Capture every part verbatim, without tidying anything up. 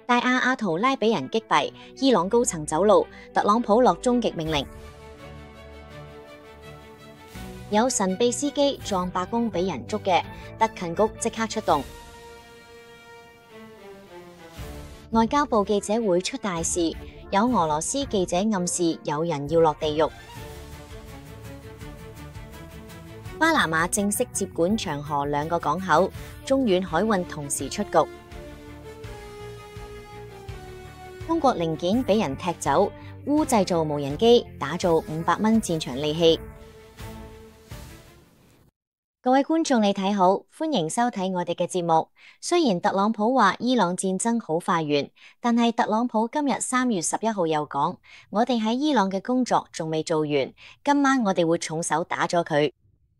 大亞阿圖拉俾人擊斃，伊朗高層走路，特朗普落終極命令。有神秘司機撞白宮俾人捉嘅，特勤局即刻出動。外交部記者會出大事，有俄羅斯記者暗示有人要落地獄。巴拿馬正式接管長河兩個港口，中遠海運同時出局。中國零件俾人踢走，烏製造無人機，打造五百蚊戰場利器。各位觀眾你睇好，歡迎收睇我哋嘅節目。雖然特朗普話伊朗戰爭好快完，但係特朗普今日三月十一號又講，我哋喺伊朗嘅工作仲未做完，今晚我哋會重手打咗佢。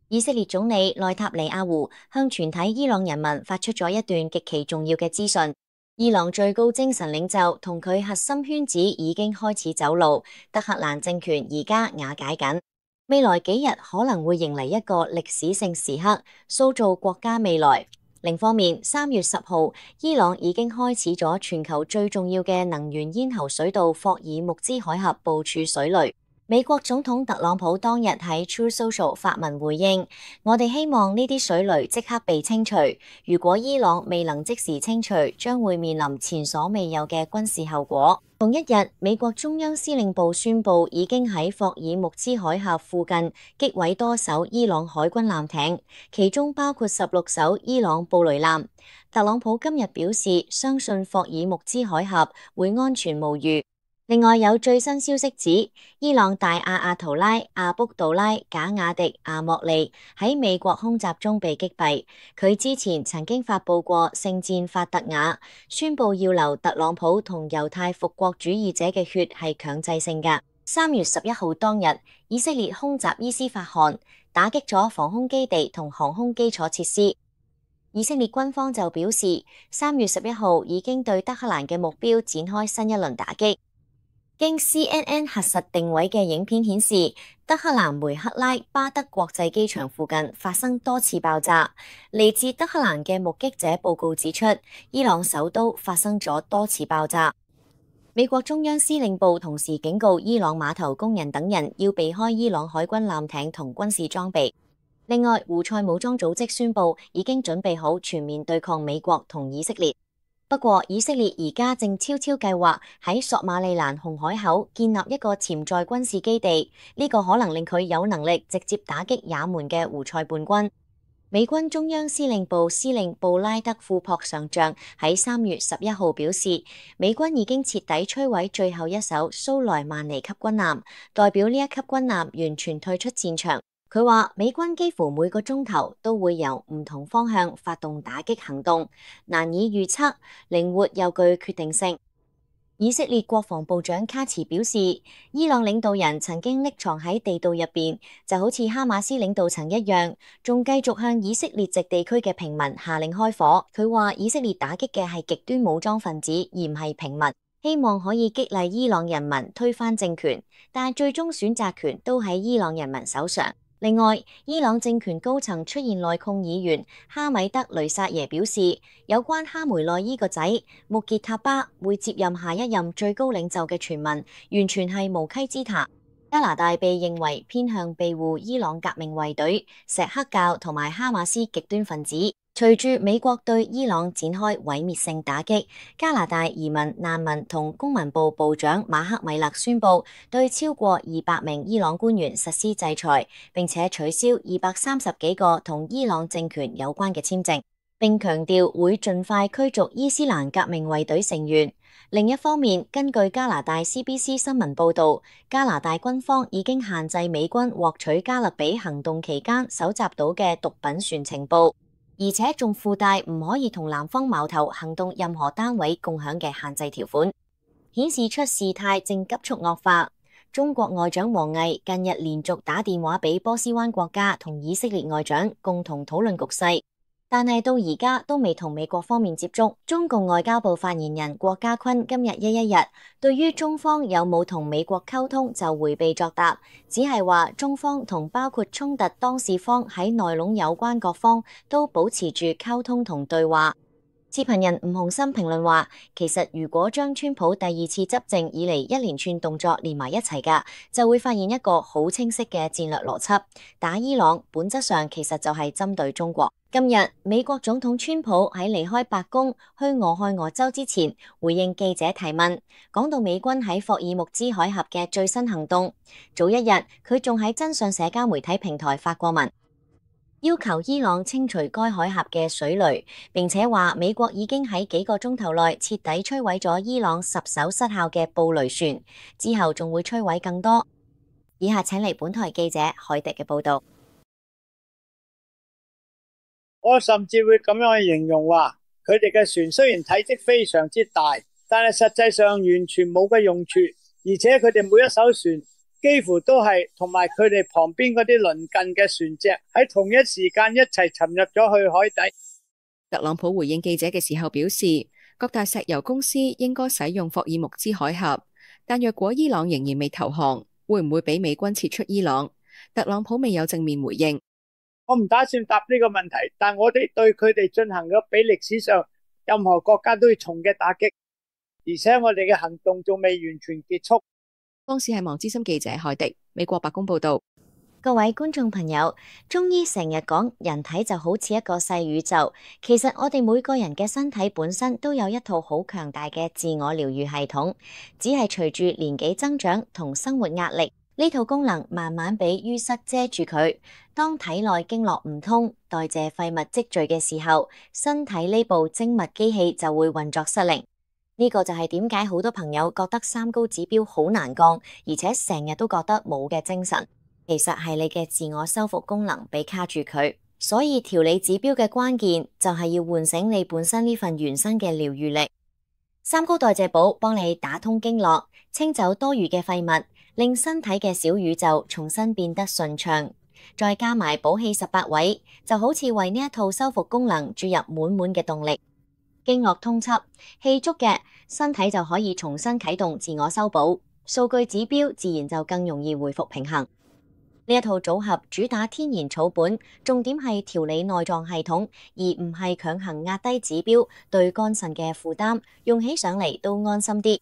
以色列總理內塔尼亞胡向全體伊朗人民發出咗一段極其重要嘅資訊。伊朗最高精神領袖同佢核心圈子已經開始走路，德黑蘭政權而家瓦解緊。未來幾日可能會迎嚟一個歷史性時刻，塑造國家未來。另一方面，三月十號，伊朗已經開始咗全球最重要嘅能源咽喉水道霍爾木茲海峽部署水雷。美國總統特朗普當日喺 True Social 發文回應，我哋希望呢啲水雷即刻被清除。如果伊朗未能即時清除，將會面臨前所未有嘅軍事後果。同一日，美國中央司令部宣布已經喺霍爾木茲海峽附近擊毀多艘伊朗海軍艦艇，其中包括十六艘伊朗布雷艦。特朗普今日表示，相信霍爾木茲海峽會安全無虞。另外有最新消息指，伊朗大亞阿圖拉、阿卜杜拉、賈雅迪、阿莫利喺美國空襲中被擊斃。佢之前曾經發佈過聖戰法特雅，宣布要留特朗普同猶太復國主義者嘅血係強制性㗎。三月十一號當日，以色列空襲伊斯法罕，打擊咗防空基地同航空基礎設施。以色列軍方就表示，三月十一號已經對德黑蘭嘅目標展開新一輪打擊。經 C N N 核實定位嘅影片顯示，德黑蘭梅克拉巴德國際機場附近發生多次爆炸。嚟自德黑蘭嘅目擊者報告指出，伊朗首都發生咗多次爆炸。美國中央司令部同時警告伊朗碼頭工人等人要避開伊朗海軍艦艇同軍事裝備。另外，胡塞武裝組織宣布已經準備好全面對抗美國同以色列。不過，以色列而家正悄悄計劃喺索馬利蘭紅海口建立一個潛在軍事基地，呢個可能令佢有能力直接打擊也門嘅胡塞叛軍。美軍中央司令部司令布拉德庫珀上將喺三月十一號表示，美軍已經徹底摧毀最後一艘蘇萊曼尼級軍艦，代表呢一級軍艦完全退出戰場。佢話美軍幾乎每個鐘頭都會由唔同方向發動打擊行動，難以預測，靈活又具決定性。以色列國防部長卡茨表示，伊朗領導人曾經匿藏喺地道入邊，就好似哈馬斯領導層一樣，仲繼續向以色列籍地區嘅平民下令開火。佢話以色列打擊嘅係極端武裝分子，而唔係平民，希望可以激勵伊朗人民推翻政權，但最終選擇權都喺伊朗人民手上。另外，伊朗政權高層出現內訌，議員哈米德雷薩耶表示，有關哈梅內伊個仔穆傑塔巴會接任下一任最高領袖嘅傳聞，完全係無稽之談。加拿大被認為偏向庇護伊朗革命衛隊、錫克教同埋哈馬斯極端分子。隨住美國對伊朗展開毀滅性打擊，加拿大移民、難民同公民部部長馬克米勒宣布對超過二百名伊朗官員實施制裁，並且取消二百三十幾個同伊朗政權有關嘅簽證，並強調會盡快驅逐伊斯蘭革命衛隊成員。另一方面，根據加拿大 C B C 新聞報導，加拿大軍方已經限制美軍獲取加勒比行動期間搜集到嘅毒品船情報，而且仲附帶唔可以同南方矛頭行動任何單位共享嘅限制條款，顯示出事態正急速惡化。中國外長王毅近日連續打電話俾波斯灣國家同以色列外長共同討論局勢，但係到而家都未同美國方面接觸。中共外交部發言人郭家坤今日一一日對於中方有冇同美國溝通就迴避作答，只係話中方同包括衝突當事方喺內籠有關各方都保持住溝通同對話。視頻人吳鴻燊評論話，其實如果將川普第二次執政以嚟一連串動作連埋一齊㗎，就會發現一個好清晰嘅戰略邏輯。打伊朗本質上其實就係針對中國。今日美國總統川普喺離開白宮去俄亥俄州之前，回應記者提問，講到美軍喺霍爾木茲海峽嘅最新行動。早一日佢仲喺真相社交媒體平台發過文，要求伊朗清除該海峽嘅水雷，並且話美國已經喺幾個鐘頭內徹底摧毀咗伊朗十艘失效嘅布雷船，之後仲會摧毀更多。以下請嚟本台記者海迪嘅報道。我甚至會咁樣去形容話，佢哋嘅船雖然體積非常之大，但係實際上完全冇嘅用處，而且佢哋每一艘船幾乎都係同埋佢哋旁邊嗰啲鄰近嘅船隻喺同一時間一齊沉入咗去海底。特朗普回應記者嘅時候表示，各大石油公司應該使用霍爾木茲海峽，但若果伊朗仍然未投降，會唔會俾美軍撤出伊朗？特朗普未有正面回應。我唔打算答呢個問題，但我哋對佢哋進行咗比歷史上任何國家都要重嘅打擊，而且我哋嘅行動仲未完全結束。方視係網資深記者海迪，美國白宮報道。各位觀眾朋友，中醫成日講人體就好似一個細宇宙，其實我哋每個人嘅身體本身都有一套好強大嘅自我療愈系統，只係隨住年紀增長同生活壓力，呢套功能慢慢俾淤塞遮住佢。當體內經絡唔通，代謝廢物積聚嘅時候，身體呢部精密機器就會運作失靈。呢個就係點解好多朋友覺得三高指標好難降，而且成日都覺得冇嘅精神，其實係你嘅自我修復功能被卡住佢。所以調理指標嘅關鍵就係要喚醒你本身呢份原生嘅療愈力。三高代謝寶幫你打通經絡，清走多餘嘅廢物，令身體嘅小宇宙重新變得順暢。再加埋補氣十八位，就好似為呢一套修復功能注入滿滿嘅動力。經絡通緝，氣足嘅身體就可以重新啟動自我修補，數據指標自然就更容易回復平衡。呢一套組合主打天然草本，重點係調理內臟系統，而唔係強行壓低指標對肝腎嘅負擔，用起上嚟都安心啲。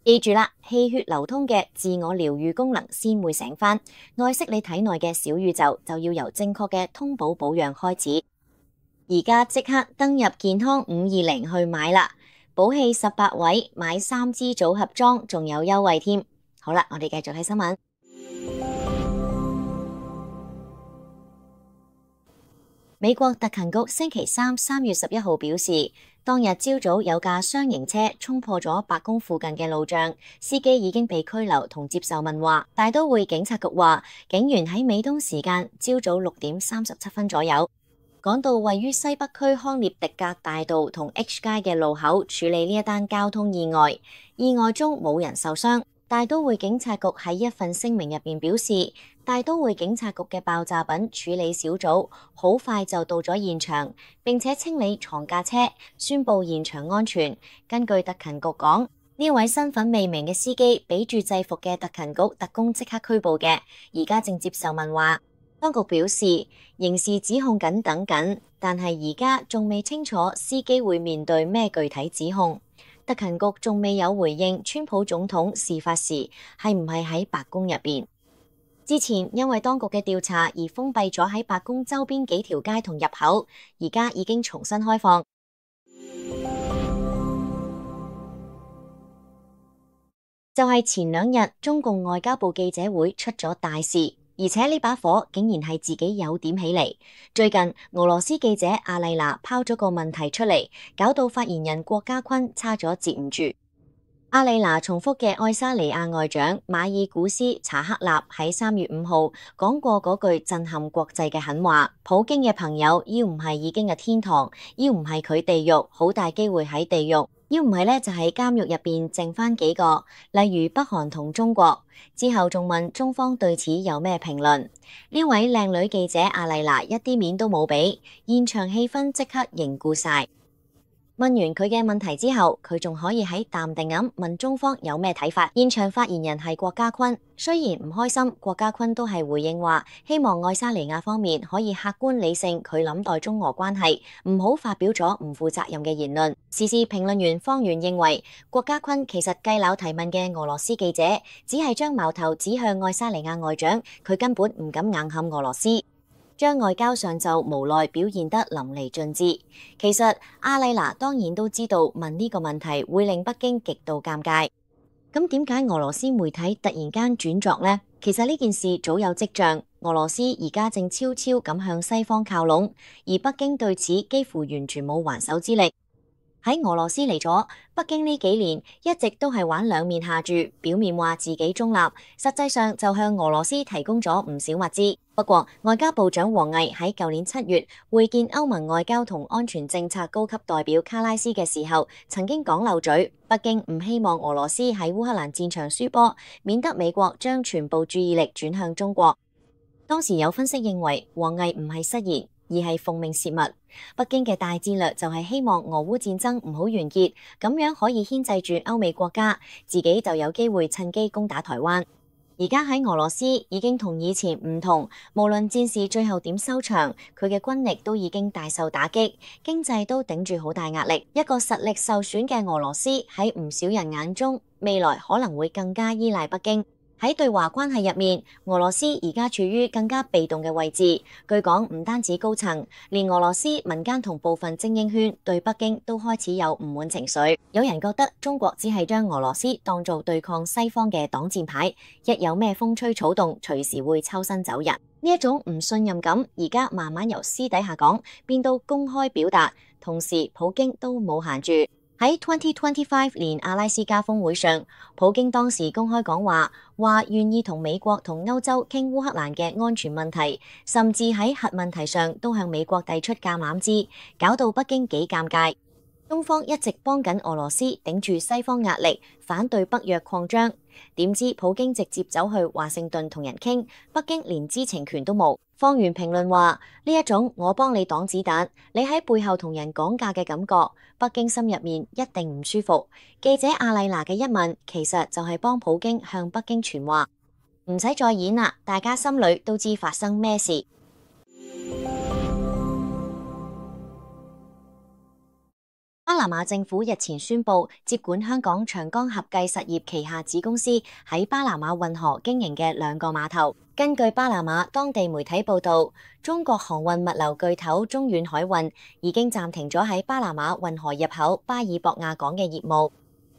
記住啦，氣血流通嘅自我療愈功能先會醒返，愛惜你體內嘅小宇宙就要由正確嘅通補保養開始。而家即刻登入健康五二零去買啦，補氣十八位買三支組合裝仲有優惠添。好啦，我哋繼續睇新聞。美國特勤局星期三三月十一號表示，當日朝早有架雙型車衝破咗白宮附近嘅路障，司機已經被拘留同接受問話。大都會警察局話，警員喺美東時間朝早六點三十七分左右，趕到位於西北區康涅狄格大道同 H 街嘅路口處理呢一單交通意外，意外中冇人受傷。大都會警察局喺一份聲明入邊表示，大都會警察局嘅爆炸品處理小組好快就到咗現場，並且清理床架車，宣布現場安全。根據特勤局講，呢位身份未明嘅司機俾住制服嘅特勤局特工即刻拘捕嘅，而家正接受問話。當局表示，刑事指控緊等緊，但係而家仲未清楚司機會面對咩具體指控。特勤局仲未有回應川普總統事發時係唔係喺白宮入邊。之前因為當局嘅調查而封閉咗喺白宮周邊幾條街同入口，而家已經重新開放。就係前兩日中共外交部記者會出咗大事。而且呢把火竟然係自己有點起嚟。最近俄羅斯記者阿麗娜拋咗個問題出嚟，搞到發言人郭家坤差咗接唔住。阿麗娜重複嘅愛沙尼亞外長馬爾古斯查克納喺三月五號講過嗰句震撼國際嘅狠話：普京嘅朋友要唔係已經嘅天堂，要唔係佢地獄，好大機會喺地獄。要唔係咧，就喺監獄入邊剩翻幾個，例如北韓同中國。之後仲問中方對此有咩評論？呢位靚女記者阿麗娜一啲面都冇俾，現場氣氛即刻凝固晒。問完佢嘅問題之後，佢仲可以喺淡定咁問中方有咩睇法。現場發言人係郭家坤，雖然唔開心，郭家坤都係回應話，希望愛沙尼亞方面可以客觀理性佢諗待中俄關係，唔好發表咗唔負責任嘅言論。時事評論員方源認為，郭家坤其實計鬧提問嘅俄羅斯記者，只係將矛頭指向愛沙尼亞外長，佢根本唔敢硬撼俄羅斯。將外交上就無奈表現得淋漓盡致。其實阿麗娜當然都知道問呢個問題會令北京極度尷尬。咁點解俄羅斯媒體突然間轉作呢？其實呢件事早有跡象，俄羅斯而家正悄悄咁向西方靠攏，而北京對此幾乎完全冇還手之力。喺俄羅斯嚟咗，北京呢幾年一直都係玩兩面下注，表面話自己中立，實際上就向俄羅斯提供咗唔少物資。不過，外交部長王毅喺舊年七月會見歐盟外交同安全政策高級代表卡拉斯嘅時候，曾經講漏嘴，北京唔希望俄羅斯喺烏克蘭戰場輸波，免得美國將全部注意力轉向中國。當時有分析認為，王毅唔係失言，而係奉命泄密。北京嘅大戰略就係希望俄烏戰爭唔好完結，咁樣可以牽制住歐美國家，自己就有機會趁機攻打台灣。而家喺俄羅斯已經同以前唔同，無論戰事最後點收場，佢嘅軍力都已經大受打擊，經濟都頂住好大壓力。一個實力受損嘅俄羅斯喺唔少人眼中，未來可能會更加依賴北京。喺對華關係入面，俄羅斯而家處於更加被動嘅位置。據講，唔單止高層，連俄羅斯民間同部分精英圈對北京都開始有唔滿情緒。有人覺得中國只係將俄羅斯當做對抗西方嘅擋箭牌，一有咩風吹草動，隨時會抽身走人。呢一種唔信任感，而家慢慢由私底下講變到公開表達，同時普京都冇閒住。喺二零二五年阿拉斯加峰會上，普京當時公開講話，話願意同美國同歐洲傾烏克蘭嘅安全問題，甚至喺核問題上都向美國遞出橄欖枝，搞到北京幾尷尬。中方一直幫緊俄羅斯頂住西方壓力，反對北約擴張。點知普京直接走去華盛頓同人傾，北京連知情權都冇。方源評論話：呢一種我幫你擋子彈，你喺背後同人講價嘅感覺，北京心入面一定唔舒服。記者阿麗娜嘅一問，其實就係幫普京向北京傳話，唔使再演啦，大家心裏都知發生咩事。巴拿馬政府日前宣布接管香港長江合計實業旗下子公司喺巴拿馬運河經營嘅兩個碼頭。根據巴拿馬當地媒體報道，中國航運物流巨頭中遠海運已經暫停咗喺巴拿馬運河入口巴爾博亞港嘅業務。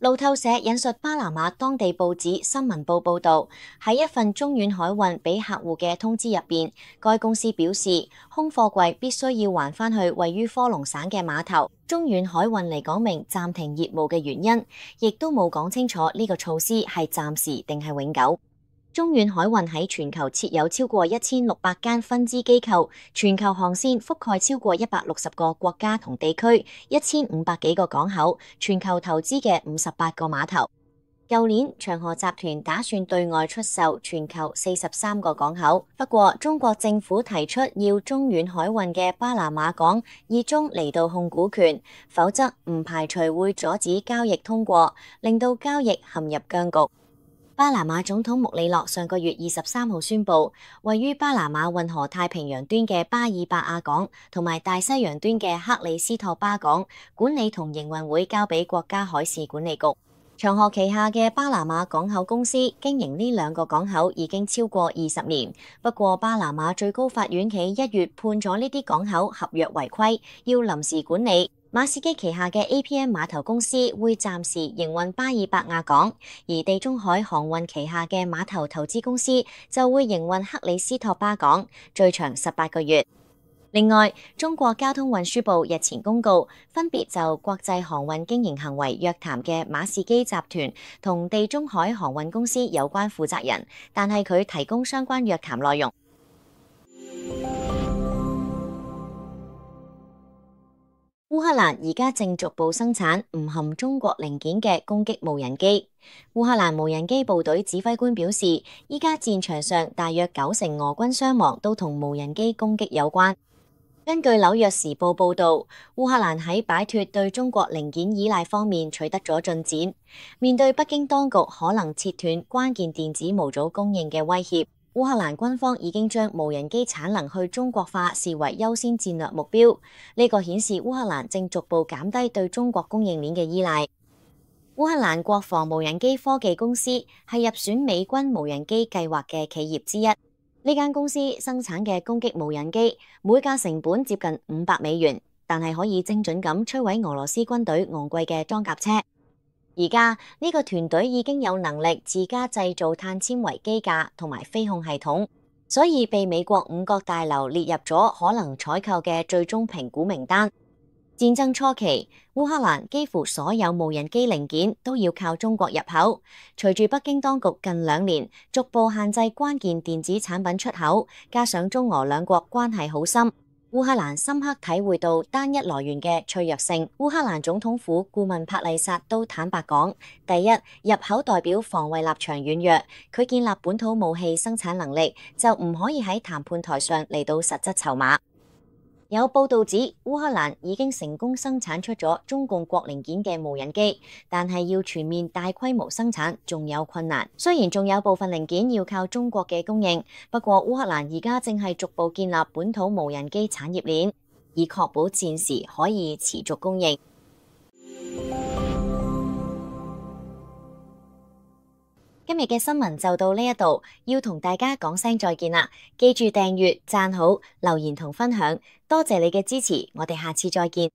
路透社引述巴拿馬當地報紙新聞報報道，喺一份中遠海運俾客戶嘅通知入邊，該公司表示空貨櫃必須要還返去位於科隆省嘅碼頭。中遠海運嚟講明暫停業務嘅原因，亦都冇講清楚呢個措施係暫時定係永久。中遠海運喺全球設有超過一千六百間分支機構，全球航線覆蓋超過一百六十個國家同地區，一千五百幾個港口，全球投資嘅五十八個碼頭。舊年長河集團打算對外出售全球四十三個港口，不過中國政府提出要中遠海運嘅巴拿馬港以中嚟到控股權，否則唔排除會阻止交易通過，令到交易陷入僵局。巴拿馬總統穆里諾上個月二十三號宣布，位於巴拿馬運河太平洋端嘅巴爾伯亞港同埋大西洋端嘅克里斯托巴港管理同營運會交俾國家海事管理局。長河旗下嘅巴拿馬港口公司經營呢兩個港口已經超過二十年，不過巴拿馬最高法院喺一月判咗呢啲港口合約違規，要臨時管理。馬士基旗下嘅 A P M 碼頭公司會暫時營運巴爾伯亞港，而地中海航運旗下嘅碼頭投資公司就會營運克里斯托巴港，最長十八個月。另外，中國交通運輸部日前公告，分別就國際航運經營行為約談嘅馬士基集團同地中海航運公司有關負責人，但係佢提供相關約談內容。烏克蘭而家正逐步生產唔含中國零件嘅攻擊無人機。烏克蘭無人機部隊指揮官表示，依家戰場上大約九成俄軍傷亡都同無人機攻擊有關。根據紐約時報報導，烏克蘭喺擺脫對中國零件依賴方面取得咗進展。面對北京當局可能切斷關鍵電子模組供應嘅威脅，烏克蘭軍方已經將無人機產能去中國化視為優先戰略目標。呢個顯示烏克蘭正逐步減低對中國供應鏈嘅依賴。烏克蘭國防無人機科技公司係入選美軍無人機計劃嘅企業之一。呢間公司生產嘅攻擊無人機每架成本接近五百美元，但係可以精準咁摧毀俄羅斯軍隊昂貴嘅裝甲車。而家呢個團隊已經有能力自家製造碳纖維機架同埋飛控系統，所以被美國五角大樓列入咗可能採購嘅最終評估名單。戰爭初期，烏克蘭幾乎所有無人機零件都要靠中國入口。隨住北京當局近兩年逐步限制關鍵電子產品出口，加上中俄兩國關係好深，烏克蘭深刻體會到單一來源嘅脆弱性。烏克蘭總統府顧問帕麗薩都坦白講，第一，入口代表防衛立場軟弱，佢建立本土武器生產能力就唔可以喺談判台上嚟到實質籌碼。有報道指烏克蘭已經成功生產出咗中共國零件嘅無人機，但係要全面大規模生產仲有困難。雖然仲有部分零件要靠中國嘅供應，不過烏克蘭而家正係逐步建立本土無人機產業鏈，以確保戰時可以持續供應。今日嘅新聞就到呢一度，要同大家講聲再見啦！記住訂閱、讚好、留言同分享，多謝你嘅支持，我哋下次再見。